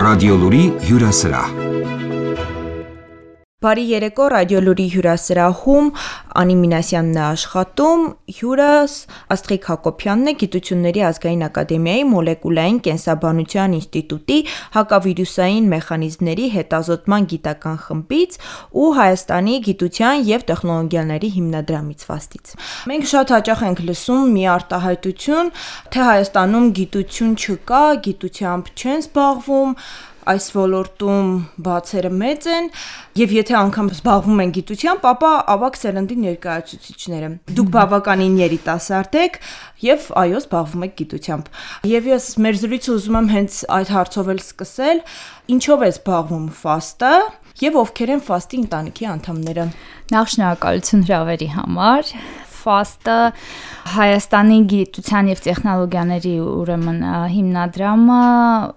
Ռադիոլուրի հյուրասրահ։ Բարի երեկո, Ռադիոլուրի հյուրասրահում Անի Մինասյանն է աշխատում, հյուրս Աստղիկ Հակոբյանն է, Գիտությունների ազգային ակադեմիայի մոլեկուլային կենսաբանության ինստիտուտի հակավիրուսային մեխանիզմների հետազոտման գիտական խմբից ու Հայաստանի գիտության և տեխնոլոգիաների հիմնադրամից Ֆաստից։ Մենք շատ հաճախ ենք լսում մի արտահայտություն, թե Հայաստանում գիտություն չկա, գիտությամբ չեն զբաղվում, այս ոլորտում բացերը մեծ են, եւ եթե անգամ զբաղվում են գիտությամբ, ապա ավագ սերնդի ներկայացուցիչները։ Դուք բավականին երիտասարդ եք եւ այո, զբաղվում եք գիտությամբ։ Եվ ես մեր զրույցը ուզում եմ հենց այդ հարցով էլ սկսել. ինչով է զբաղվում Ֆաստը եւ ովքեր են Ֆաստի ընտանիքի անդամները։ Նախ շնորհակալություն հրավերի համար։ Ֆաստը Հայաստանի գիտության և տեխնոլոգիաների հիմնադրամը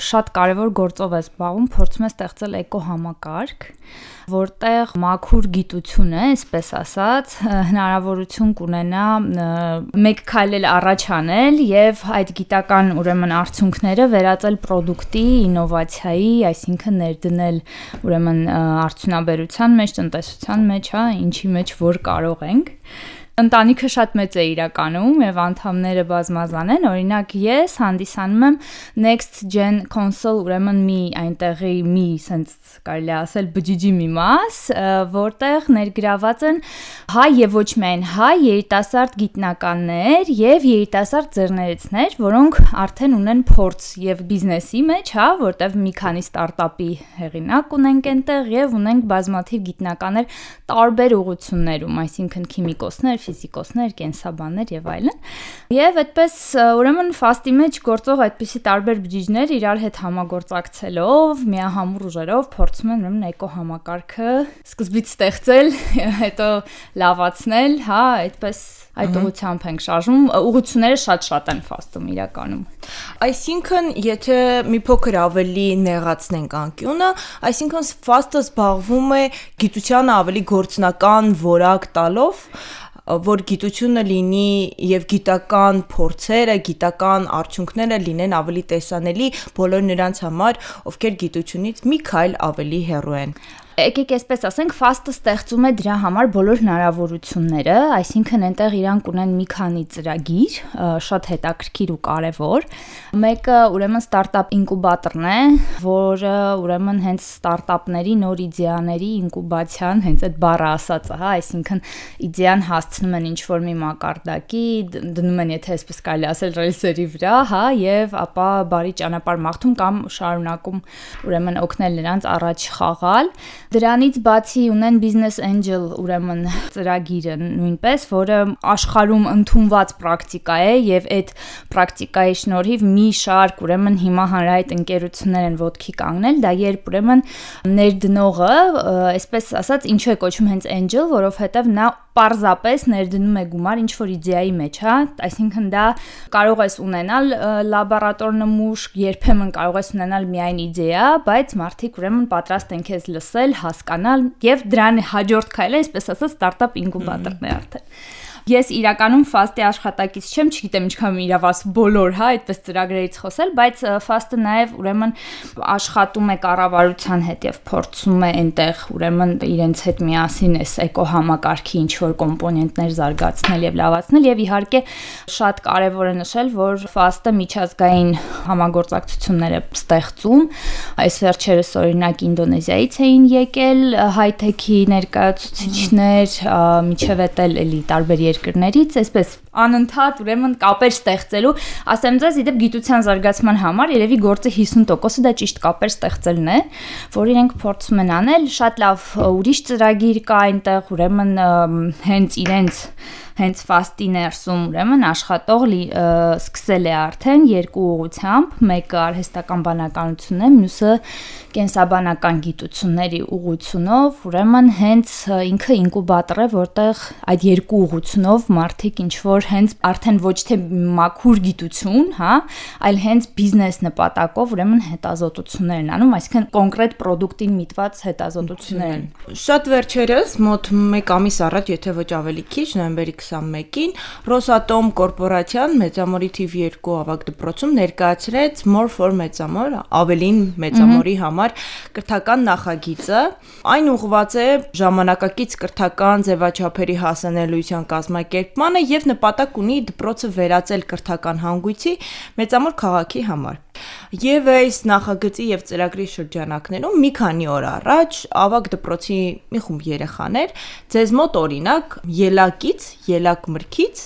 շատ կարևոր գործով է զբաղվում, փորձում է ստեղծել էկոհամակարգ, որտեղ մաքուր գիտությունը, այսպես ասած, հնարավորություն կունենա մեկ քայլ առաջ անել եւ այդ գիտական արդյունքները վերածել պրոդուկտի, ինովացիայի, այսինքն ներդնել արդյունաբերության մեջ, տնտեսության մեջ, ինչի մեջ որ կարող ենք։ Ընտանիքը շատ մեծ է իրականում եւ անդամները բազմազան են, օրինակ ես հանդիսանում եմ Next Gen Console, մի այնտեղի մի, sense կարելի ասել, բջիջի մի մաս, որտեղ ներգրաված են հայ եւ ոչ միայն հայ երիտասարդ գիտնականներ եւ երիտասարդ ձեռներեցներ, որոնք արդեն ունեն փորձ եւ բիզնեսի մեջ, որտեղ մի քանի ստարտափի հեղինակ ունենք այնտեղ եւ ունենք բազմաթիվ գիտնականներ տարբեր ուղղություններում, այսինքն քիմիկոսներ, ֆիզիկոսներ, կենսաբաններ եւ այլն։ Եվ այդպես Ֆաստի մեջ գործող այդպիսի տարբեր բջիջներ իրար հետ համագործակցելով, միահամուռ ուժերով փորձում են էկոհամակարգը սկզբից ստեղծել, հետո լավացնել, այդպես այդ ուղղությամբ ենք շարժվում, ուղղությունները շատ են Ֆաստում իրականում։ Այսինքն, եթե մի փոքր ավելի նեղացնենք անկյունը, այսինքն Ֆաստը զբաղվում է գիտությանը ավելի գործնական որակ տալով, որ գիտությունը լինի եւ գիտական փորձերը, գիտական արդյունքները լինեն ավելի տեսանելի բոլոր նրանց համար, ովքեր գիտությունից մի քայլ ավելի հեռու են։ Եկեք այսպես ասենք, Ֆաստը ստեղծում է դրա համար բոլոր հնարավորությունները, այսինքն այնտեղ իրանք ունեն մի քանի ծրագիր, շատ հետաքրքիր ու կարևոր։ Մեկը ստարտափ ինկուբատորն է, որը հենց ստարտափների նոր իդեաների ինկուբացիան, հենց այդ բառը ասածը, այսինքն իդեան հասցնում են ինչ-որ մի մակարդակի, դնում են, եթե այսպես կարելի ասել, ռելսերի վրա, եւ ապա բարի ճանապարհ մաղթում կամ շարունակում օգնել նրանց առաջ խաղալ։ Դրանից բացի ունեն Business Angel ծրագիրը նույնպես, որը աշխարհում ընդունված պրակտիկա է եւ այդ պրակտիկայի շնորհիվ մի շարք հիմա հանրահայտ ընկերություններ են ոտքի կանգնել, դա երբ ներդնողը, այսպես ասած, ինչու է կոչվում հենց Angel, որովհետեւ նա պարզապես ներդնում է գումար ինչ-որ իդեայի մեջ, այսինքն դա կարող ես ունենալ լաբորատոր նմուշ, երբեմն կարող ես ունենալ միայն իդեա, բայց մարդիկ պատրաստ են քեզ լսել, հասկանալ եւ դրան հաջորդ քայլը, այսպես ասած, ստարտափ ինկուբատորն է արդեն։ Ես իրականում Ֆաստի աշխատակից չեմ, չգիտեմ ինչքան իրավաս բոլոր, այդպես ծրագրերից խոսել, բայց Ֆաստը նաև աշխատում է կառավարության հետ եւ փորձում է այնտեղ իրենց հետ միասին այս էկոհամակարգի ինչ-որ կոմպոնենտներ զարգացնել եւ լավացնել եւ իհարկե շատ կարեւոր է նշել, որ Ֆաստը միջազգային համագործակցություններ է ստեղծում, այս վերջերս օրինակ Ինդոնեզիայից էին եկել հայ-թեքի ներկայացուցիչներ, միջև էլի տարբեր երկրներից, այսպես անընդհատ կապեր ստեղծելու, ասեմ ձեզ, իդեպ գիտության զարգացման համար երևի գործը 50%-ը դա ճիշտ կապեր ստեղծելն է, որ իրենք փորձում են անել, շատ լավ ուրիշ ծրագիր կա այնտեղ, հենց Ֆաստի ներսում աշխատող սկսել է արդեն երկու ուղղությամբ, մեկը արհեստական բանականություն է, մյուսը կենսաբանական գիտությունների ուղղությունով, հենց ինքը ինկուբատոր է, որտեղ այդ երկու ուղղությունով մարդիկ ինչ-որ որ հենց արդեն ոչ թե մաքուր գիտություն, հա, այլ հենց բիզնես նպատակով ուրեմն հետազոտություններ են անում, այսինքն կոնկրետ product-ին միտված հետազոտություններ են։ Շատ վերջերս, մոտ 1 ամիս առաջ, եթե ոչ ավելի քիչ, նոյեմբերի 21-ին, Ռոսատոմ կորպորացիան Մեծամորի թիվ 2 ավագ դպրոցում ներկայացրեց More for Մեծամոր, ավելին Մեծամորի համար կրթական նախագիծը։ Այն ուղղված է ժամանակակից կրթական ձևաչափերի հասանելիության կազմակերպմանը եւ նպատակ ունի դպրոցը վերածել կրթական հանգույցի Մեծամոր քաղաքի համար։ Եվ այս նախագծի եւ ծրագրի շրջանակներում մի քանի օր առաջ ավագ դպրոցի մի խումբ երեխաներ ձեզ մոտ օրինակ ելակ մրգից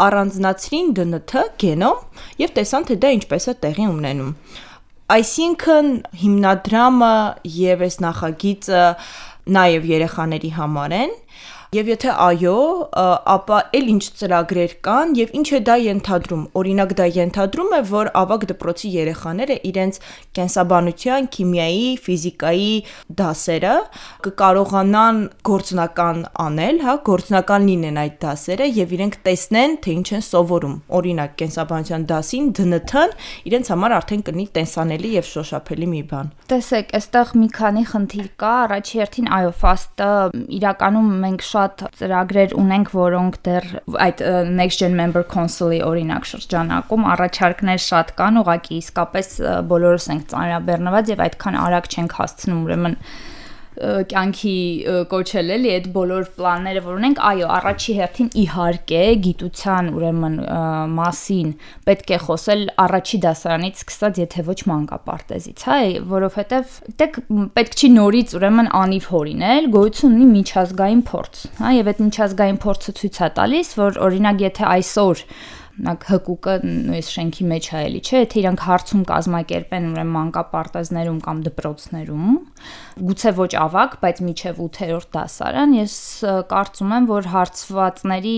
առանձնացրին ԴՆԹ գենոմ եւ տեսան թե դա ինչպես է տեղի ունենում։ Այսինքն հիմնադրամը եւ այս նախագիծը նաեւ երեխաների համար են Եվ եթե այո, ապա էլ ինչ ծրագրեր կան եւ ինչ է դա ենթադրում։ Օրինակ դա ենթադրում է, որ ավագ դպրոցի երեխաները իրենց կենսաբանության, քիմիայի, ֆիզիկայի դասերը կկարողանան գործնական անել, հա, գործնական լինեն այդ դասերը եւ իրենք տեսնեն, թե ինչ են սովորում։ Օրինակ կենսաբանության դասին ԴՆԹ-ն իրենց համար արդեն կլինի տեսանելի եւ շոշափելի մի բան։ Տեսեք, այստեղ մի քանի խնդիր կա, առաջի հերթին այո, FAST-ը իրականում մենք շատ ծրագրեր ունենք, որոնք դեռ այդ Next Gen Member Council-ի օրինակ շրջանակում առաջարկներ շատ կան, ուղղակի իսկապես բոլորս ենք ծանրաբեռնված եւ այդքան արագ չենք հասցնում ուրեմն կյանքի կոչել էլի այդ բոլոր պլանները, որ ունենք, այո, առաջի հերթին իհարկե գիտության ուրեմն մասին պետք է խոսել առաջի դասարանից սկսած, եթե ոչ մանկապարտեզից, հա, որովհետև դեք պետք չի նորից ուրեմն անիվ հորինել, գոյություն ունի միջազգային փորձ, հա, եւ այդ միջազգային փորձը ցույց է տալիս, որ օրինակ եթե այսօր հկուկը նույն շենքի մեջ է էլի, չէ, եթե իրանք հարցում կազմակերպեն ուրեմն մանկապարտեզներում կամ դպրոցներում, գուցե ոչ ավագ, բայց միջև 8-րդ դասարան, ես կարծում եմ, որ հարցվածների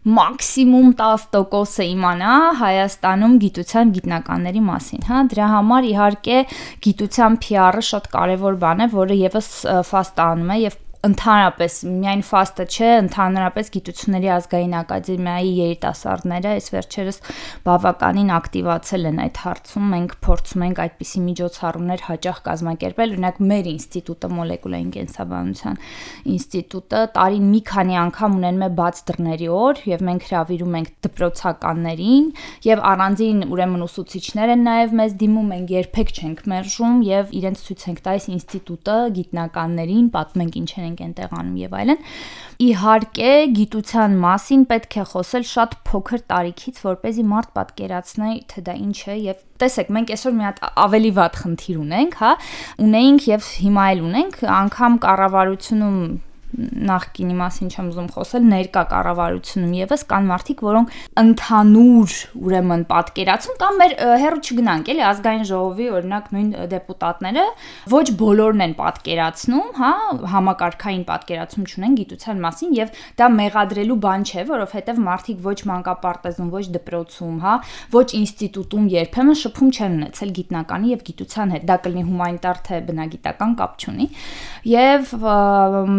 մաքսիմում 10% իմանա Հայաստանում գիտության գիտնականների մասին, հա, դրա համար իհարկե գիտության PR-ը շատ կարևոր բան է, որը եւս FAST-ը անում է եւ ընդհանրապես միայն FAST-ը չէ, ընդհանրապես գիտությունների ազգային ակադեմիայի երիտասարդները այս վերջերս բավականին ակտիվացել են այդ հարցում, մենք փորձում ենք այդպիսի միջոցառումներ հաճախ կազմակերպել, օրինակ մեր ինստիտուտը մոլեկուլային կենսաբանության ինստիտուտը տարին մի քանի անգամ ունենում է բաց դռների օր եւ մենք հրավիրում ենք դպրոցականներին եւ առանձին ուրեմն ուսուցիչներ են նաեւ մեզ դիմում, մենք երբեք չենք մերժում եւ իրենց ցույց ենք տալիս ինստիտուտը գիտնականներին, պատմենք ինչ են այնտեղ անում եւ այլն։ Իհարկե գիտության մասին պետք է խոսել շատ փոքր տարիքից, որպեսզի մարդ պատկերացնի, թե դա ինչ է եւ տեսեք, մենք այսօր մի հատ ավելի վատ խնդիր ունենք, հա, ունեինք եւ հիմա էլ ունենք, անգամ կառավարությունում նախկինի մասին չեմ ուզում խոսել, ներկա կառավարությունում եւս կան մարդիկ, որոնք ընդհանուր ուրեմն պատկերացում կամ մեր հերո չգնանք, էլի ազգային ժողովի օրինակ նույն դեպուտատները ոչ բոլորն են պատկերացնում, հա, համակարգային պատկերացում չունեն գիտության մասին եւ դա մեղադրելու բան չէ, որովհետեւ մարդիկ ոչ մանկապարտեզում, ոչ դպրոցում, հա, ոչ ինստիտուտում երբեմն շփում չեն ունեցել գիտնականի եւ գիտության հետ, դա կլինի հումանիտար թե բնագիտական կապ չունի եւ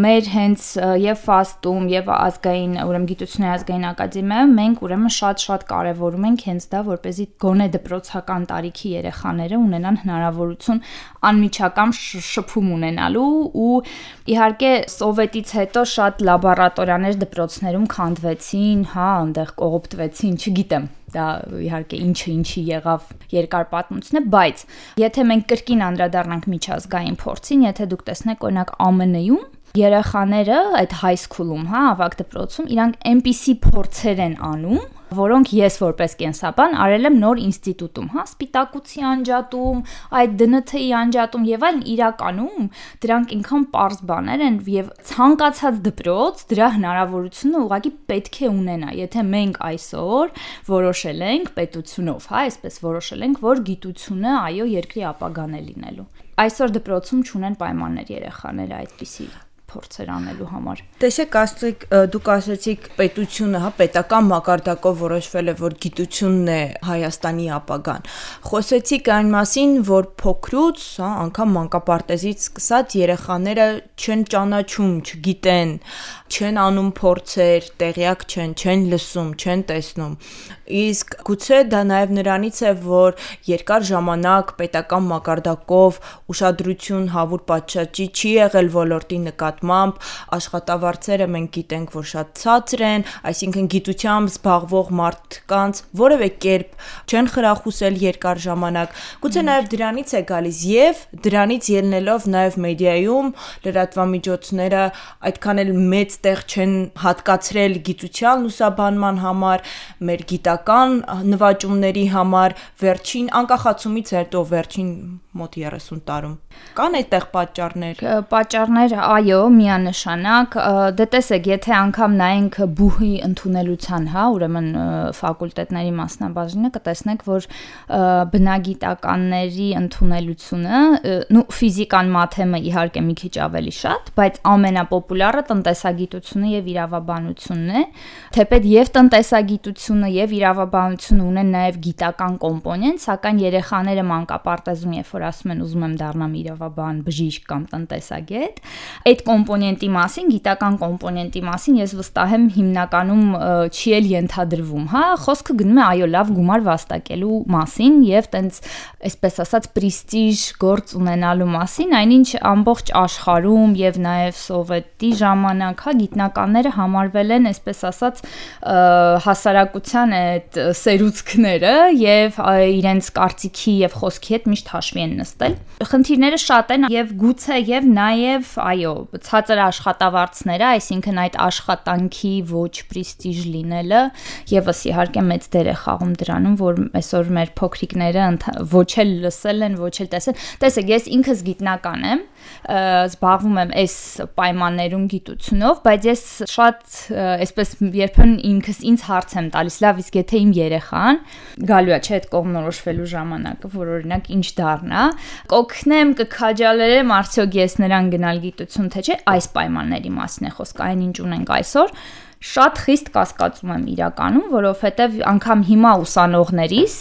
մեր հենց եւ FAST-ում եւ ազգային ուրեմն գիտությունների ազգային ակադեմիայում մենք ուրեմն շատ կարեւորում ենք հենց դա, որպեսզի գոնե դպրոցական տարիքի երեխաները ունենան հնարավորություն անմիջական շփում ունենալու ու իհարկե սովետից հետո շատ լաբորատորիաներ դպրոցներում քանդվեցին, հա, այնտեղ կողոպտվեցին, չգիտեմ դա իհարկե ինչի եղավ երկար պատմություն է, բայց եթե մենք կրկին անդրադառնանք միջազգային փորձին, եթե դուք տեսնեք օրինակ ԱՄՆ-ում երեխաները այդ high school-ում, հա, ավագ դպրոցում իրանք այնպիսի փորձեր են անում, որոնք ես որպես կենսաբան արել եմ նոր ինստիտուտում, հա, սպիտակուցի անջատում, այդ ԴՆԹ-ի անջատում եւ այլն իրականում դրանք ինքան པարզ բաներ են եւ ցանկացած դպրոց դրա հնարավորությունը ուղղակի պետք է ունենա, եթե մենք այսօր որոշել ենք պետությունով, հա, այսպես որոշել ենք, որ գիտությունը այո երկրի ապագան է լինելու։ Այսօր դպրոցում չունեն պայմաններ երեխաները այդպիսի փորձեր անելու համար։ Տեսեք, ասեք, դուք ասացիք պետությունը, հա, պետական մակարդակով որոշվել է, որ գիտությունն է Հայաստանի ապագան։ Խոսեցիք այն մասին, որ փոքրուց, հա, անգամ մանկապարտեզից սկսած երեխաները չեն ճանաչում, չգիտեն, չեն անում փորձեր, տեղյակ չեն լսում, չեն տեսնում։ Իսկ գուցե դա նաև նրանից է, որ երկար ժամանակ պետական մակարդակով ուշադրություն հավուր պատշաճի չի եղել ոլորտի նկատմամբ, աշխատավարձերը մենք գիտենք, որ շատ ցածր են, այսինքն գիտությամբ զբաղվող մարդկանց որևէ կերպ չեն խրախուսել երկար ժամանակ։ Գուցե նաև դրանից է գալիս եւ դրանից ելնելով նաև մեդիայում լրատվամիջոցները այդքան էլ մեծ տեղ չեն հատկացրել գիտության լուսաբանման համար, մեր գիտական նվաճումների համար վերջին անկախացումից հետո վերջին մոտ 30 տարում։ Կան այդտեղ պատճառներ, այո, միանշանակ, դե տեսեք, եթե անգամ նայենք բուհի ընդունելության, հա, ուրեմն ֆակուլտետների մասնաբաժինը կտեսնեք, որ բնագիտականների ընդունելությունը, ֆիզիկան, մաթեմը իհարկե մի քիչ ավելի շատ, բայց ամենապոպուլյարը տնտեսագիտությունը եւ իրավաբանությունն է, թեպետ եւ տնտեսագիտությունը եւ իրավաբանությունը ունեն նաեւ գիտական կոմպոնենտ, սակայն երեխաները մանկապարտեզում, երբ որ ասում են ուզում եմ դառնամ իրավաբան, բժիշկ կամ տնտեսագետ, այդ կոմպոնենտի մասին, գիտական կոմպոնենտի մասին ես վստահ եմ հիմնականում չի էլ ենթադրվում, հա, խոսքը գնում է այո լավ գումար վաստակելու մասին եւ տենց այսպես ասած պրեստիժ գործ ունենալու մասին, այնինչ ամբողջ աշխարհում եւ նաեւ սովետի ժամանակ, հա, գիտնականները համարվել են այսպես ասած հասարակության այդ սերուցքները եւ իրենց կարծիքի եւ խոսքի հետ միշտ հաշվի են նստել։ Խնդիրները շատ են եւ գուցե եւ նաեւ այո, ցածր աշխատավարձները, այսինքն այդ աշխատանքի ոչ պրեստիժ լինելը եւս իհարկե մեծ դեր է խաղում դրանում, որ այսօր մեր փոքրիկները ոչ էլ լսել են, ոչ էլ տեսել։ Տեսեք, ես ինքս գիտնական եմ, զբաղվում եմ այս պայմաններում գիտությունով, բայց ես շատ այսպես երբեմն ինձ հարց եմ տալիս, լավ, իսկ եթե իմ երեխան գալու է չէ այդ կողմնորոշվելու ժամանակը, որ օրինակ ինչ դառնա, կօգնեմ, կքաջալերեմ, արդյոք ես նրան գնալ գիտություն, թե չէ, այս պայմանների մասին է խոսքը, այնինչ ունենք այսօր, շատ խիստ կասկածում եմ իրականում, որովհետև անգամ հիմա ուսանողներիս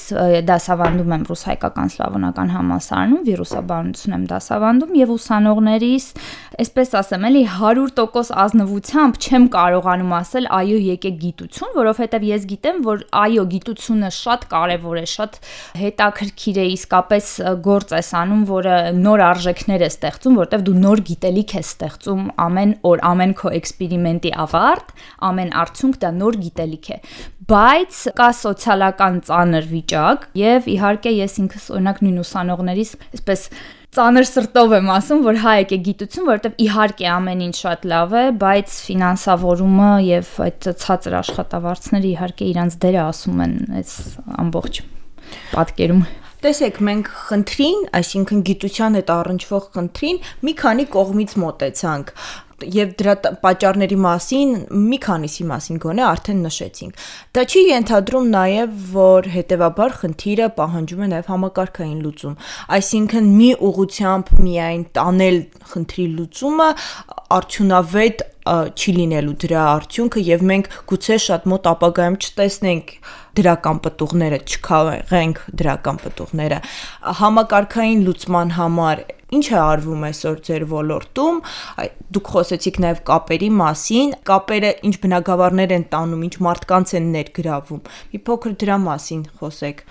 դասավանդում եմ ռուս-հայկական սլավոնական համալսարանում, վիրուսաբանություն եմ դասավանդում եւ ուսանողներիս, այսպես ասեմ, էլի 100% ազնվությամբ չեմ կարողանում ասել այո եկեք գիտություն, որովհետև ես գիտեմ, որ այո գիտությունը շատ կարեւոր է, շատ հետաքրքիր է, իսկապես գործ ես անում, որը նոր արժեքներ է ստեղծում, որովհետև դու նոր գիտելիք ես ստեղծում ամեն օր, ամեն քո էքսպերիմենտի ավարտ, ամեն արդյունք դա նոր գիտելիք է, բայց կա սոցիալական ծանր վիճակ եւ իհարկե ես ինքս օրինակ նույն ուսանողներիս այսպես ծանր սրտով եմ ասում, որ հա եկեք գիտություն, որովհետեւ իհարկե ամեն ինչ շատ լավ է, բայց ֆինանսավորումը եւ այդ ցածր աշխատավարձները իհարկե իրանց դերը ասում են այս ամբողջ պատկերում։ Տեսեք, մենք խնդրին, այսինքն գիտության հետ առնչվող խնդրին մի քանի կողմից մոտեցանք եւ դրա պատճառների մասին մի քանիսի մասին գոնե արդեն նշեցինք։ Դա չի ենթադրում նաեւ, որ հետեւաբար խնդիրը պահանջում է նաեւ համակարգային լուծում, այսինքն մի ուղղությամբ միայն տանել խնդրի լուծումը արդյունավետ չի լինելու դրա արդյունքը եւ մենք գուցե շատ մոտ ապագայում չտեսնենք դրական պտուղները, չքաղենք դրական պտուղները։ Համակարգային լուծման համար ինչ է արվում այսօր ձեր ոլորտում, դուք խոսեցիք նաև կապերի մասին, կապերը ինչ բնագավառներ են տանում, ինչ մարդկանց են ներգրավում, մի փոքր դրա մասին խոսեք։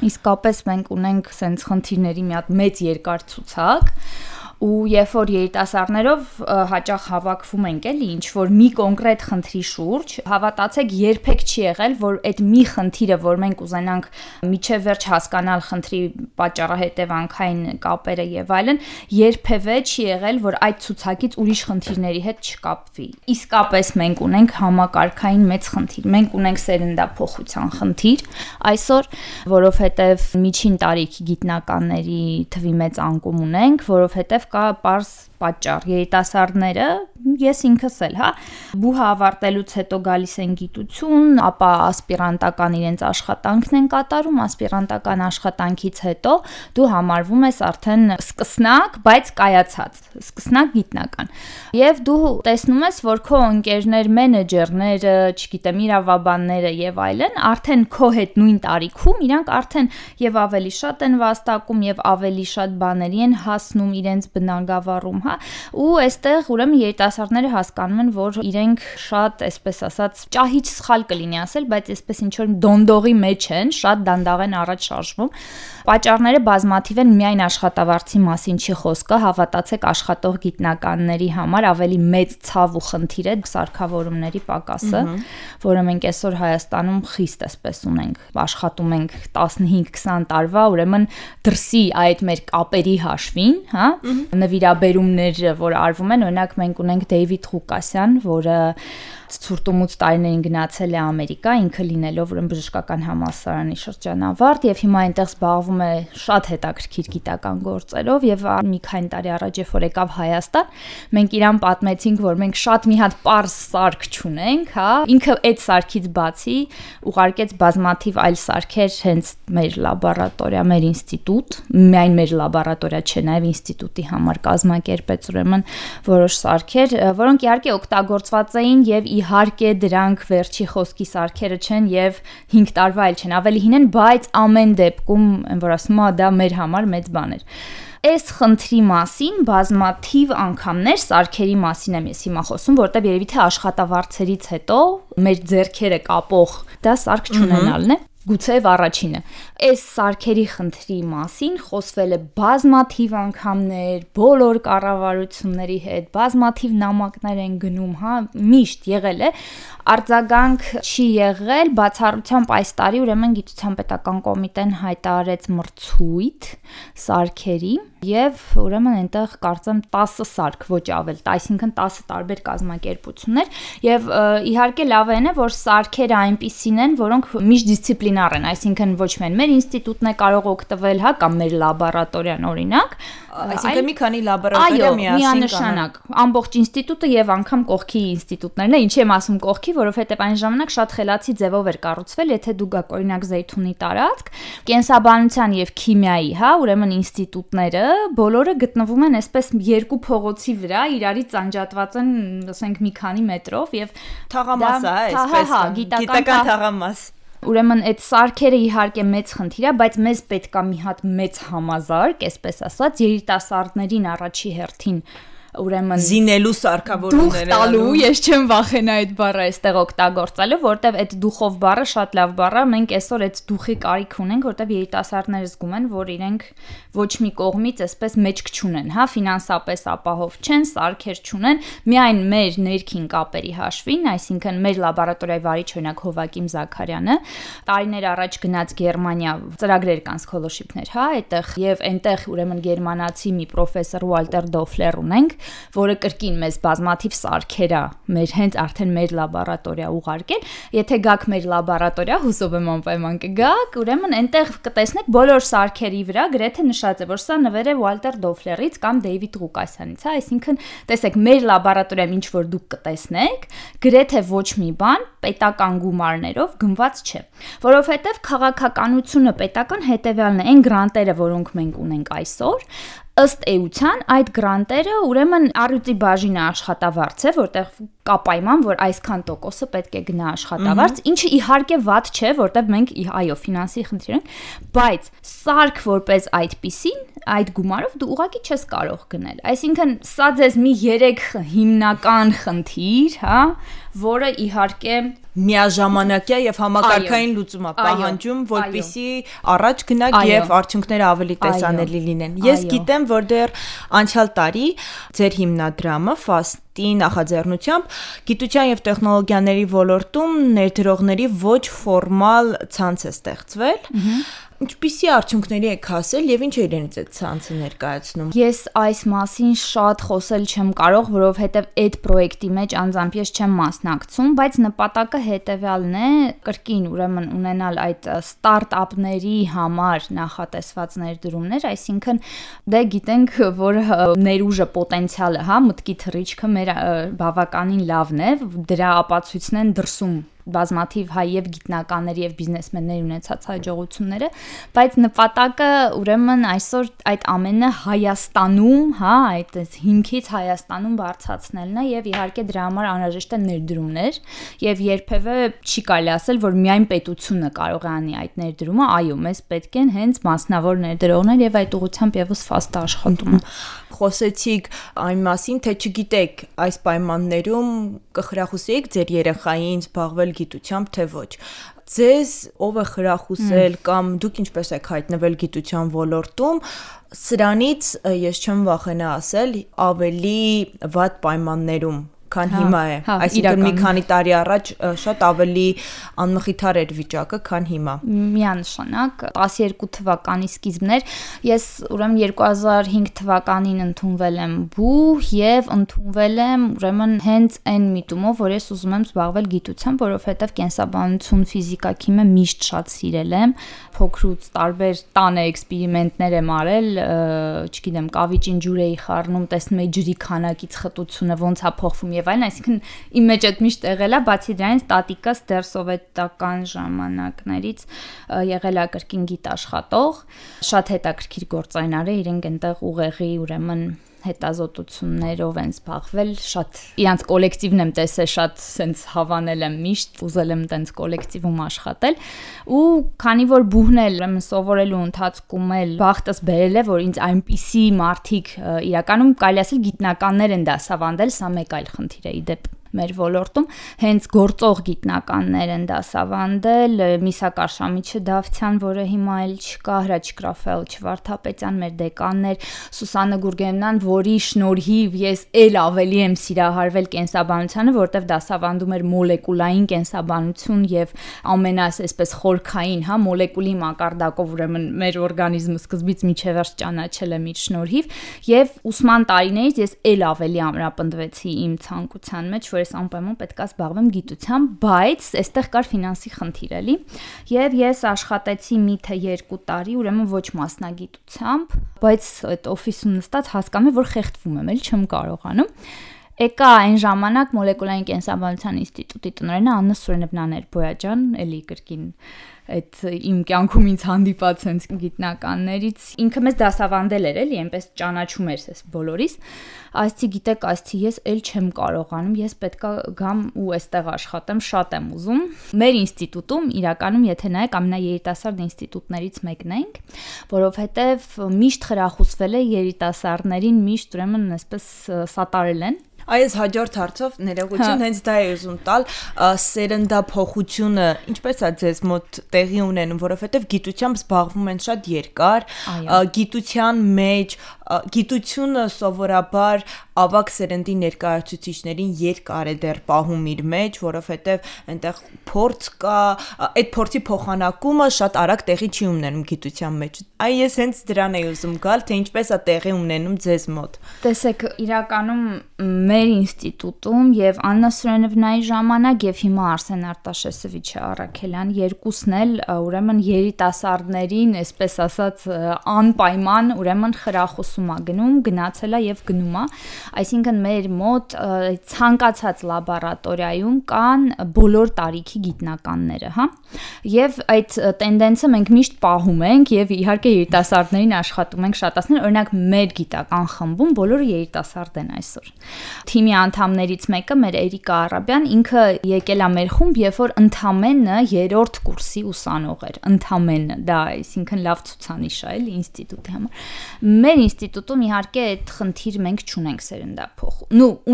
Իսկապես մենք ունենք սենց խնդիրների մի հատ մեծ երկար ցուցակ, ու երբ որ երիտասարդներով հաճախ հավաքվում ենք էլի ինչ որ մի կոնկրետ խնդրի շուրջ, հավատացեք երբեք չի եղել, որ այդ մի խնդիրը, որ մենք ուզենանք միջև վերջ հասկանալ խնդրի պատճառը հետևանքային կապերը եւ այլն, երբևէ չի եղել, որ այդ ցուցակից ուրիշ խնդիրների հետ չկապվի։ Իսկապես մենք ունենք համակարգային մեծ խնդիր, մենք ունենք սերնդափոխության խնդիր այսօր, որովհետեւ միջին տարիքի գիտնականների թվի մեծ անկում ունենք, որովհետեւ կա պարզ պատճառ, երիտասարդները, ես ինքս էլ, հա, բուհը ավարտելուց հետո գալիս են գիտություն, ապա ասպիրանտական իրենց աշխատանքն են կատարում, ասպիրանտական աշխատանքից հետո դու համարվում ես արդեն սկսնակ, բայց կայացած, սկսնակ գիտնական։ Եվ դու տեսնում ես, որ քո ընկերներ, մենեջերները, չգիտեմ, իրավաբանները եւ այլն, արդեն քո հետ նույն տարիքում իրանք արդեն եւ ավելի շատ են վաստակում եւ ավելի շատ բաների են հասնում իրենց բնագավառում, հա, ու այստեղ ուրեմն երիտասարդները հասկանում են, որ իրենք շատ, այսպես ասած, ճահիճ սխալ կլինի ասել, բայց այսպես ինչ որ դոնդողի մեջ են, շատ դանդաղ են առաջ շարժվում։ Պատճառները բազմաթիվ են, միայն աշխատավարձի մասին չի խոսքը, հավատացեք, աշխատող գիտնականների համար ավելի մեծ ցավ ու խնդիր է սարքավորումների պակասը, որը մենք այսօր Հայաստանում խիստ այսպես ունենք, աշխատում ենք 15-20 տարվա, ուրեմն դրսի այդ մեր կապերի հաշվին, հա, նվիրաբերումները, որ արվում են, օրինակ մենք ունենք Դեյվիդ Ղուկասյան, որը ցուրտումուց տարիներին գնացել է Ամերիկա, ինքը լինելով ուրեմն բժշկական համալսարանի շրջանավարտ եւ հիմա այնտեղ զբաղվում է շատ հետաքրքիր գիտական գործերով եւ մի քանի տարի առաջ որ եկավ Հայաստան, մենք իրան պատմեցինք, որ մենք շատ մի հատ պարզ սարք չունենք, հա, ինքը այդ սարքից բացի ուղարկեց բազմաթիվ այլ սարքեր հենց մեր լաբորատորիա, մեր ինստիտուտ, միայն մեր լաբորատորիա չէ, նաեւ ինստիտուտի համար կազմակերպեց ուրեմն որոշ սարքեր, որոնք իհարկե օգտագործված էին եւ իհարկե դրանք վերջի խոսքի սարքերը չեն եւ 5 տարվա էլ չեն, ավելի հին են, բայց ամեն դեպքում, որ ասում եմ, դա մեր համար մեծ բան էր։ Այս խնդրի մասին բազմաթիվ անգամներ սարքերի մասին եմ ես հիմա խոսում, որտեղ երևի թե աշխատավարձերից հետո մեր ձեռքերը կապող դա սարք չունենալն է։ Գուցեև առաջինը։ Այս սարքերի խնդրի մասին խոսվել է բազմաթիվ անգամներ, բոլոր կառավարությունների հետ, բազմաթիվ նամակներ են գնում, հա, միշտ եղել է, արձագանք չի եղել, բացառությամբ այս տարի ուրեմն Գիտության պետական կոմիտեն հայտարարեց մրցույթ սարքերի եւ ուրեմն այնտեղ կարծեմ 10 սարք, ոչ ավել, այսինքն 10 տարբեր կազմակերպություններ եւ իհարկե լավ է, որ սարքերը այնպիսին են, որոնք միշտ դիսցիպլինար են, այսինքն ոչ միայն մեր ինստիտուտն է կարող օգտվել, հա, կամ մեր լաբորատորիան օրինակ, այսինքն մի քանի լաբորատորիա միանշանակ, ամբողջ ինստիտուտը եւ անգամ կողքի ինստիտուտներն է, ինչի եմ ասում կողքի, որովհետեւ այն ժամանակ շատ խելացի ձևով էր կառուցվել, եթե դու գաք օրինակ Զեյթունի տարածք, կենսաբանության եւ քիմիայի, հա, ուրեմն ինստիտուտները բոլորը գտնվում են այսպես երկու փողոցի վրա, իրարից անջատված են, ասենք մի քանի մետրով եւ թաղամաս է, այսպես, գիտական թաղամաս։ Ուրեմն այդ սարքերը իհարկե մեծ խնդիր է, բայց մեզ պետք է մի հատ մեծ համազարկ, այսպես ասած, երիտասարդներին առաջի հերթին ուրեմն զինելու սարքավորումները տալու, ես չեմ վախենա այդ բառը այստեղ օգտագործելու, որտեվ այդ դուխով բառը շատ լավ բառ է, մենք այսօր այդ դուխի կարիք ունենք, որտեվ երիտասարդները զգում են, որ իրենք ոչ մի կողմից այսպես մեջք չունեն, հա, ֆինանսապես ապահով չեն, սարքեր չունեն, միայն մեր ներքին կապերի հաշվին, այսինքն մեր լաբորատորիայի վարիչ օրինակ Հովակիմ Զաքարյանը տարիներ առաջ գնաց Գերմանիա, ծրագրեր կան scholarship-ներ, հա, այդտեղ եւ այնտեղ ուրեմն գերմանացի մի պրոֆեսոր Ուալտեր Դոֆլեր ունենք, որը կրկին մեզ բազմաթիվ սարքեր է մեր հենց արդեն մեր լաբորատորիա ուղարկել, եթե գաք մեր լաբորատորիա, հուսով եմ անպայման կգաք, ուրեմն այնտեղ կտեսնեք բոլոր սարքերի վրա գրեթե նշած է, որ սա նվեր է Ուալտեր Դոֆլերից կամ Դեյվիդ Ղուկասյանից, հա, այսինքն տեսեք մեր լաբորատորիայում ինչ որ դուք կտեսնեք, գրեթե ոչ մի բան պետական գումարներով գնված չէ, որովհետև քաղաքականությունը պետական հետևյալն է, այն գրանտերը, որոնք մենք ունենք այսօր, ըստ էության այդ գրանտերը ուրեմն առյուծի բաժինը աշխատավարձ է, որտեղ կա պայման, որ այսքան տոկոսը պետք է գնա աշխատավարձ, ինչը իհարկե վատ չէ, որտեղ մենք այո, ֆինանսի խնդիր ենք, բայց սարք որպես այդպիսին, այդ գումարով դու ուղղակի չես կարող գնել։ Այսինքն սա ձեզ մի 3 հիմնական խնդիր, հա, որը իհարկե միաժամանակյա եւ համակարգային լուծում է պահանջում, որպեսզի առաջ գնաք եւ արդյունքները ավելի տեսանելի լինեն։ Ես գիտեմ, որ դեռ անցյալ տարի ձեր հիմնադրամը FAST-ի նախաձեռնությամբ գիտության եւ տեխնոլոգիաների ոլորտում ներդրողների ոչ ֆորմալ ցանց է ստեղծվել։ Ինչպիսի արդյունքների եք հասել եւ ինչ է իրենից այդ ցանցը ներկայացնում։ Ես այս մասին շատ խոսել չեմ կարող, որովհետեւ այդ պրոյեկտի մեջ անձամբ ես չեմ մասնակցում, բայց նպատակը հետեւյալն է, կրկին ուրեմն ունենալ այդ ստարտափների համար նախատեսված ներդրումներ, այսինքն դե գիտենք, որ ներուժը պոտենցիալը, հա, մտքի թռիչքը մեր բավականին լավն է, դրա ապացույցն են դրսում բազմաթիվ հայ եւ գիտնականների եւ բիզնեսմենների ունեցած հաջողությունները, բայց նպատակը ուրեմն այսօր այդ ամենը Հայաստանում, հա, այդ հիմքից Հայաստանում բարձրացնելն է եւ իհարկե դրա համար անհրաժեշտ է ներդրումներ եւ երբեւե չի կարելի ասել, որ միայն պետությունը կարող է անի այդ ներդրումը, այո, մեզ պետք են հենց մասնավոր ներդրողներ եւ այդ ուղղությամբ եւս ֆաստ աշխատում։ Խոսեցիք այն մասին, թե չգիտեք այս պայմաններում կխրախուսեիք ձեր երեխային զբաղվել գիտությամբ, թե ոչ։ Ձեզ ով է խրախուսել կամ դուք ինչպես եք հայտնվել գիտության ոլորտում, սրանից ես չեմ վախենա ասել, ավելի վատ պայմաններում քան հիմա է, այսինքն մի քանի տարի առաջ շատ ավելի անմխիթար էր վիճակը, քան հիմա։ Միանշանակ 12 թվականի սկիզբներ ես ուրեմն 2005 թվականին ընդունվել եմ բու եւ ընդունվել եմ ուրեմն հենց այն միտումով, որ ես ուզում եմ զբաղվել գիտությամբ, որովհետեւ կենսաբանություն, ֆիզիկա, քիմիա միշտ շատ սիրել եմ, փոքրուց տարբեր տանը էքսպերիմենտներ եմ արել, չգիտեմ, կավիճին ջուր էի խառնում, տեսնում էի ջրի քանակից խտությունը ոնց է փոխվում եւ այլն, այսինքն իմ մեջ այդ միշտ եղել է, բացի դրանից տատիկս դեռ սովետական ժամանակներից եղել է կրկին գիտաշխատող, շատ հետաքրքիր գործարար է, իրենք այնտեղ ուղեղի ուրեմն հետազոտություններով են զբաղվել, շատ իրանց կոլեկտիվն եմ տեսել, շատ սենց հավանել եմ միշտ, ուզել եմ տենց կոլեկտիվում աշխատել ու քանի որ բուհն էլ ուրեմն սովորելու ընթացքում էլ բախտս բերել է, որ ինձ այնպիսի մարդիկ իրականում կարելի ասել գիտնականներ են դասավանդել, սա մեկ այլ խնդիր է իդեպ մեր ոլորտում հենց գործող գիտնականներ են դասավանդել Միսակ Արշամիչը Դավթյան, որը հիմա էլ չկա, Հրաչիկ Ռաֆայել Չվարդապետյան, մեր դեկաններ, Սուսաննա Գուրգենյան, որի շնորհիվ ես ել ավելի եմ սիրահարվել կենսաբանությանը, որտեղ դասավանդում էր մոլեկուլային կենսաբանություն եւ ամենաս այսպես խորքային, հա, մոլեկուլի մակարդակով ուրեմն մեր օրգանիզմը սկզբից միջև վերջ ճանաչել եմ իր շնորհիվ եւ ուսման տարիներից ես ել ավելի ամրապնդվեցի իմ ցանկության մեջ, որ ես անպայման պետք է զբաղվեմ գիտությամբ, բայց այստեղ կար ֆինանսի խնդիր էլի եւ ես աշխատեցի մի թե 2 տարի, ուրեմն ոչ մասնագիտությամբ, բայց այդ օֆիսում նստած հասկանում եմ, որ խեղդվում եմ, էլ չեմ կարողանում։ Եկա այն ժամանակ մոլեկուլային կենսաբանության ինստիտուտի տնօրենը Աննա Սուրենեբնաներ Բոյաջան, էլի կրկին այդ իմ կյանքում ինձ հանդիպած հենց գիտնականներից ինքը մեզ դասավանդել էր էլի, այնպես ճանաչում էր ես բոլորիս, ասցի գիտեք, ասցի ես էլ չեմ կարողանում, ես պետքա գամ ու այստեղ աշխատեմ, շատ եմ ուզում։ Մեր ինստիտուտում իրականում եթե նայեք ամենաերիտասարդ ինստիտուտներից մեկն ենք, որովհետև միշտ խրախուսվել է երիտասարդներին, միշտ ուրեմն այսպես սատարել են։ Այս հաջորդ հարցով ներողություն, հենց դա է ուզում տալ, սերնդափոխությունը ինչպես է ձեզ մոտ տեղի ունենում, որովհետև գիտությամբ զբաղվում են շատ երկար, գիտության մեջ, գիտությունը սովորաբար ավագ սերնդի ներկայացուցիչներին երկար է դեռ պահում իր մեջ, որովհետև այնտեղ փորձ կա, այդ փորձի փոխանակումը շատ արագ տեղի չի ունենում գիտության մեջ։ Այ ես հենց դրան էի ուզում գալ, թե ինչպես է տեղի ունենում ձեզ մոտ։ Տեսեք, իրականում մեր ինստիտուտում եւ Աննա Սուրենեվնայի ժամանակ եւ հիմա Արսեն Արտաշեսովիչը Առաքելյան երկուսն էլ ուրեմն երիտասարդներին, այսպես ասած, անպայման ուրեմն խրախուսում է գնում, գնացել է եւ գնում է, այսինքն մեր մոտ ցանկացած լաբորատորիայում կան բոլոր տարիքի գիտնականները, հա, եւ այդ տենդենսը մենք միշտ պահում ենք եւ իհարկե երիտասարդներին աշխատում ենք շատացնել, օրինակ մեր գիտական խմբում բոլորը երիտասարդ են այսօր։ Թիմի անդամներից մեկը մեր Էրիկա Արաբյան, ինքը եկել է մեր խումբ, երբ որ ընդամենը 3-րդ կուրսի ուսանող էր, ընդամենը, դա այսինքն լավ ցուցանիշ է, էլի ինստիտուտի համար։ Մեր ինստիտուտում իհարկե այդ խնդիր մենք չունենք սերնդափոխ։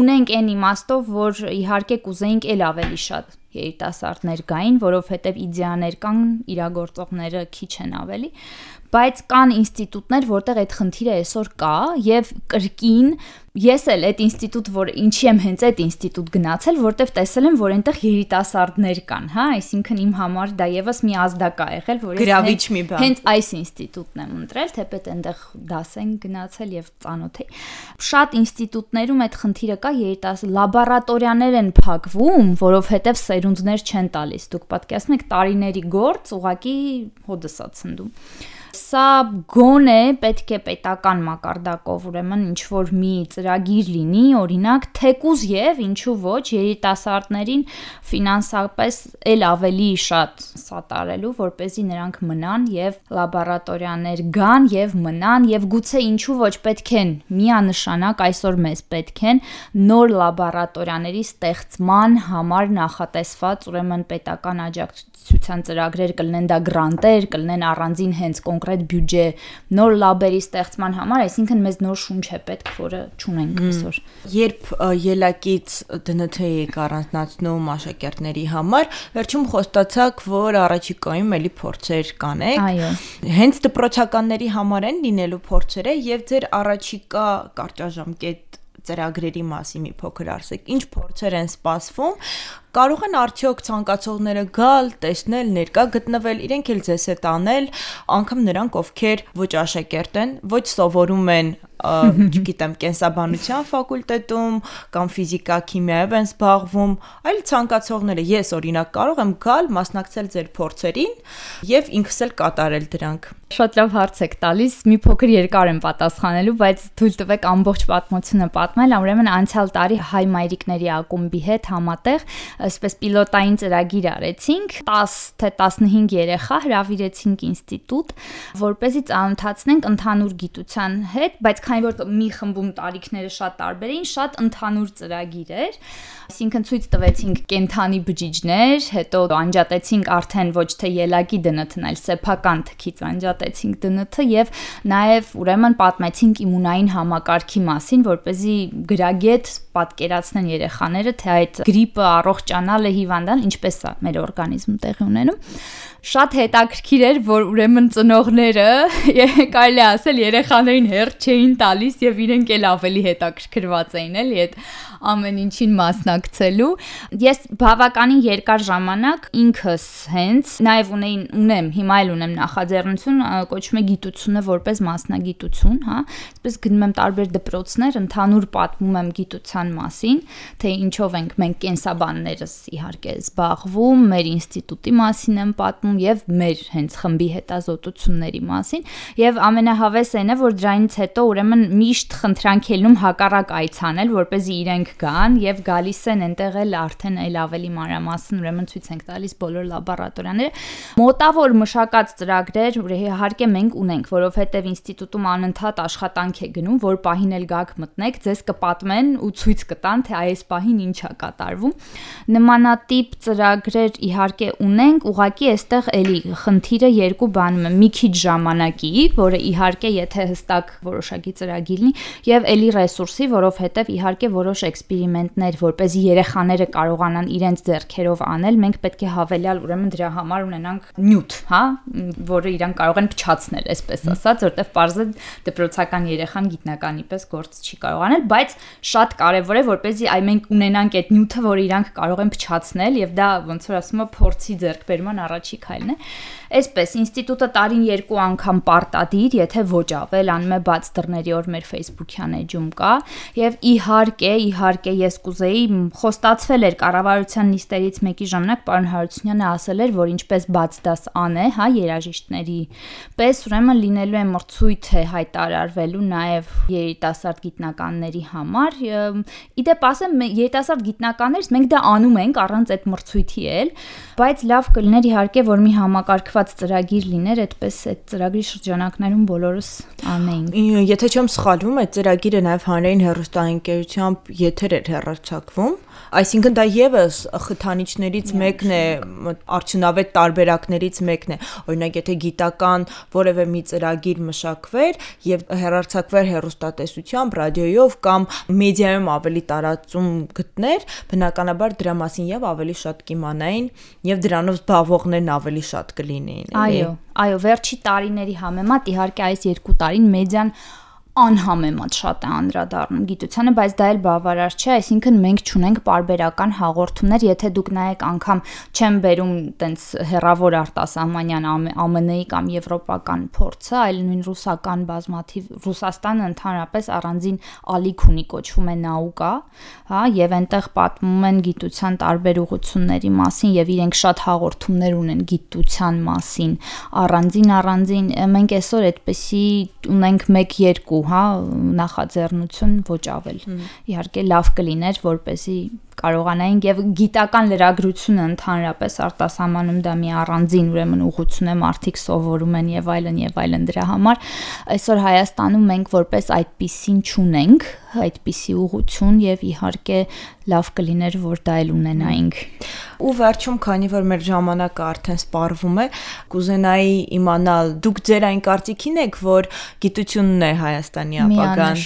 Ունենք այն իմաստով, որ իհարկե կուզեինք էլ ավելի շատ երիտասարդներ գային, որովհետև իդեաներ կան, իրագործողները քիչ են ավելի, բայց կան ինստիտուտներ, որտեղ այդ խնդիրը այսօր կա եւ կրկին ես էլ այդ ինստիտուտ, որ ինչի եմ հենց այդ ինստիտուտ գնացել, որտեղ տեսել եմ, որ այնտեղ երիտասարդներ կան, հա, այսինքն իմ համար դա եւս մի ազդակ է եղել, որ ես հենց այս ինստիտուտն եմ ընտրել, թեպետ այնտեղ դաս են գնացել եւ ծանոթ էի։ Շատ ինստիտուտներում այդ խնդիրը կա, երիտասարդ լաբորատորիաներ են փակվում, որովհետեւ սերունդներ չեն տալիս։ Դուք պատկերացնում եք տարիների գործ, ուղղակի հոդս է ցնդում։ Սա գոնե պետք է պետական մակարդակով ուրեմն ինչ որ մի ծրագիր լինի, օրինակ թեկուզ եւ ինչու ոչ երիտասարդներին ֆինանսապես էլ ավելի շատ սատարելու, որպեսզի նրանք մնան եւ լաբորատորիաներ գան եւ մնան եւ գուցե ինչու ոչ պետք են միանշանակ այսօր մեզ պետք են նոր լաբորատորիաների ստեղծման համար նախատեսված ուրեմն պետական աջակցության ծրագրեր կլինեն, դա գրանտեր, կլինեն առանձին հենց կոնկրետ բյուջե նոր լաբերի ստեղծման համար, այսինքն մեզ նոր շունչ է պետք, որը չունենք այսօր։ Երբ ելակից ԴՆԹ-ի առանձնացնում աշակերտների համար, վերջում խոստացաք, որ առաջիկայում էլի փորձեր կանեք։ Այո։ Հենց դպրոցականների համար են լինելու փորձերը եւ ձեր առաջիկա կարճաժամկետ ծրագրերի մասին մի փոքր ասեք, ինչ փորձեր են սպասվում, կարող են արդյոք ցանկացողները գալ, տեսնել, ներկա գտնվել, իրենք էլ ձեզ հետ անել, անգամ նրանք, ովքեր ոչ աշակերտ են, ոչ սովորում են, չգիտեմ, կենսաբանության ֆակուլտետում կամ ֆիզիկա, քիմիայով են զբաղվում, այլ ցանկացողները, ես օրինակ կարող եմ գալ, մասնակցել ձեր փորձերին եւ ինքս էլ կատարել դրանք։ Շատ լավ հարց եք տալիս, մի փոքր երկար եմ պատասխանելու, բայց թույլ տվեք ամբողջ պատմությունը պատմել, ուրեմն անցյալ տարի հայ մայրիկների ակումբի հետ համատեղ այսպես պիլոտային ծրագիր արեցինք, 10 թե 15 երեխա հրավիրեցինք ինստիտուտ, որպեսզի ծանոթացնենք ընդհանուր գիտության հետ, բայց քանի որ մի խմբում տարիքները շատ տարբեր էին, շատ ընդհանուր ծրագիր էր, այսինքն ցույց տվեցինք կենթանի բջիջներ, հետո անջատեցինք արդեն ոչ թե ելակի ԴՆԹ-ն, այլ սեփական թքից անջատեցինք ԴՆԹ եւ նաեւ ուրեմն պատմեցինք իմունային համակարգի մասին, որպեսզի գրագետ պատկերացնեն երեխաները, թե այդ գրիպը առողջանալը հիվանդան ինչպես է մեր օրգանիզմում տեղի ունենում։ Շատ հետաքրքիր էր, որ ուրեմն ծնողները, կարելի ասել, երեխաներին հերթ չէին տալիս եւ իրենք էլ ավելի հետաքրքրված էին էլի այդ ամեն ինչին մասնակցելու։ Ես բավականին երկար ժամանակ ինքս հենց նաեւ ունեմ, հիմա էլ ունեմ նախաձեռնություն, կոչվում է գիտությունը որպես մասնագիտություն, հա, այսպես գնում եմ տարբեր դպրոցներ, ընդհանուր պատմում եմ գիտության մասին, թե ինչով ենք մենք կենսաբաններս իհարկե զբաղվում, մեր ինստիտուտի մասին եմ պատմում եւ մեր հենց խմբի հետազոտությունների մասին եւ ամենահավեսն է որ դրանից հետո ուրեմն միշտ խնդրանք ելնում հակառակ այցանել որպեսզի իրենք գան եւ գալիս են այնտեղ էլ արդեն այլ ավելի մանրամասն ուրեմն ցույց ենք տալիս բոլոր լաբորատորիաները մոտավոր մշակած ծրագրեր իհարկե մենք ունենք որովհետեւ ինստիտուտում անընդհատ աշխատանք է գնում որ պահին էլ գաք մտնեք ձեզ կպատմեն ու ցույց կտան թե այս պահին ինչ է կատարվում նմանատիպ ծրագրեր իհարկե ունենք ուղղակի այստեղ էլի խնդիրը երկու բանում է մի քիչ ժամանակի, որը իհարկե եթե հստակ որոշակի ծրագիր լինի եւ էլի ռեսուրսի, որովհետեւ իհարկե որոշ էքսպերիմենտներ, որպեսզի երեխաները կարողանան իրենց ձեռքերով անել, մենք պետք է հավելյալ ուրեմն դրա համար ունենանք նյութ, հա, որը իրանք կարող են փչացնել, այսպես ասած, որտեվ պարզը դպրոցական երեխան գիտնականի պես գործ չի կարող անել, բայց շատ կարեւոր է, որպեսզի այ մենք ունենանք այդ նյութը, որը իրանք կարող են փչացնել եւ դա ոնց որ ասում եմ փորձի ձեռքբերման առաջի քայլն է։ Այսպես ինստիտուտը տարին 2 անգամ պարտադիր, եթե ոչ ավել, անում է բաց դռների օր մեր Facebook-յան էջում կա եւ իհարկե ես կուզեի խոստացվել էր կառավարության նիստերից մեկի ժամանակ պարոն Հարությունյանը ասել էր, որ ինչպես բաց դաս անե, հա, երաժիշտների պես ուրեմն լինելու է մրցույթ է հայտարարվելու նաեւ երիտասարդ գիտնականների համար։ Իդեպ ասեմ, երիտասարդ գիտնականներից մենք դա անում ենք առանց այդ մրցույթի էլ, բայց լավ կլիներ իհարկե որ մի համակարգված ծրագիր լիներ, այդպես այդ ծրագրի շրջանակներում բոլորս անեինք։ Եթե չեմ սխալվում, այդ ծրագիրը նաև հանրային հեռուստաընկերությամբ եթեր էր հեռարձակվում, այսինքն դա եւս խթանիչներից մեկն է, արդյունավետ տարբերակներից մեկն է։ Օրինակ, եթե գիտական որևէ մի ծրագիր մշակվեր եւ հեռարձակվեր հեռուստատեսությամբ, ռադիոյով կամ մեդիայում ավելի տարածում գտներ, բնականաբար դրա մասին եւ ավելի շատ կիմանային եւ դրանով զբաղվողներն ավելի շատ կլինեին, էլի։ Այո, վերջի տարիների համեմատ իհարկե այս 2 տարին մեդիան անհամեմատ շատ է անդրադառնում գիտությանը, բայց դա էլ բավարար չէ, այսինքն մենք չունենք պարբերական հաղորդումներ, եթե դուք նայեք անգամ չեմ բերում տենց հեռավոր արտասահմանյան ԱՄՆ-ի կամ եվրոպական փորձը, այլ նույն ռուսական բազմաթիվ Ռուսաստանը ընդհանրապես առանձին ալիք ունի, կոչվում է նաուկա, հա, եւ այնտեղ պատմում են գիտության տարբեր ուղղությունների մասին եւ իրենք շատ հաղորդումներ ունեն գիտության մասին, առանձին մենք այսօր այդպեսի ունենք 1-2 հա նախաձեռնություն ոչ ավել։ Իհարկե լավ կլիներ, որպեսզի կարողանային եւ գիտական լրագրությունը ընդհանրապես արտասահմանում դա մի առանձին ուրեմն ուղղություն է, մարդիկ սովորում են եւ այլն դրա համար այսօր Հայաստանում մենք որպես այդպիսին չունենք այդպիսի ուղղություն եւ իհարկե լավ կլիներ որ դա էլ ունենայինք։ Ու վերջում քանի որ մեր ժամանակը արդեն սպառվում է, կուզենայի իմանալ դուք ձեր այն կարծիքին եք, որ գիտությունն է Հայաստանի ապագան։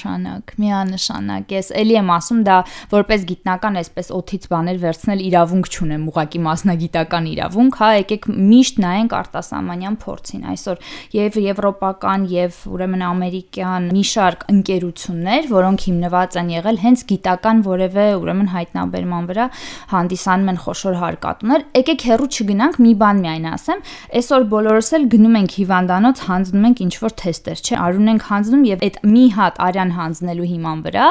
Միանշանակ, ես էլի եմ ասում դա որպես գիտնական այսպես օթից բաներ վերցնել իրավունք չունեմ, ուղղակի մասնագիտական իրավունք, հա, եկեք միշտ նայենք արտասահմանյան փորձին։ Այսօր եւ եվրոպական եւ ուրեմն ամերիկյան մի շարք ընկերություններ, որոնք հիմնված են եղել հենց գիտական որևէ ուրեմն հայտնաբերման վրա հանդիսանում են խոշոր հարկատուներ, եկեք հեռու չգնանք, մի բան միայն ասեմ, այսօր բոլորս էլ գնում ենք հիվանդանոց, հանձնում ենք ինչ-որ թեստեր, չէ, արուն ենք հանձնում եւ այդ մի հատ արյան հանձնելու հիման վրա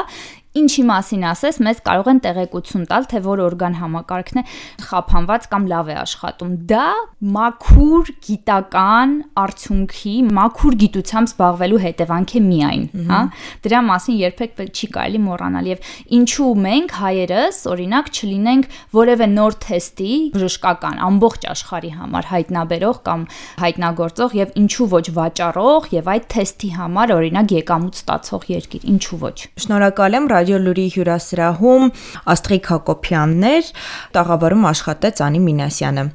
ինչի մասին ասես, մեզ կարող են տեղեկություն տալ, թե որ օրգան համակարգն է խափանված կամ լավ է աշխատում։ Դա մաքուր գիտական արդյունքի, մաքուր գիտությամբ զբաղվելու հետևանք է միայն, հա։ Դրա մասին երբեք չի կարելի մոռանալ եւ ինչու մենք հայերս, օրինակ, չլինենք որևէ նոր թեստի բժշկական ամբողջ աշխարհի համար հայտնաբերող կամ հայտնագործող եւ ինչու ոչ վաճառող եւ այդ թեստի համար օրինակ եկամուտ ստացող երկիր, ինչու ոչ։ Շնորհակալ եմ Ռադիո Լուրի հյուրասրահում Աստղիկ Հակոբյանն էր, տաղավարում աշխատեց Անի Մինասյանը։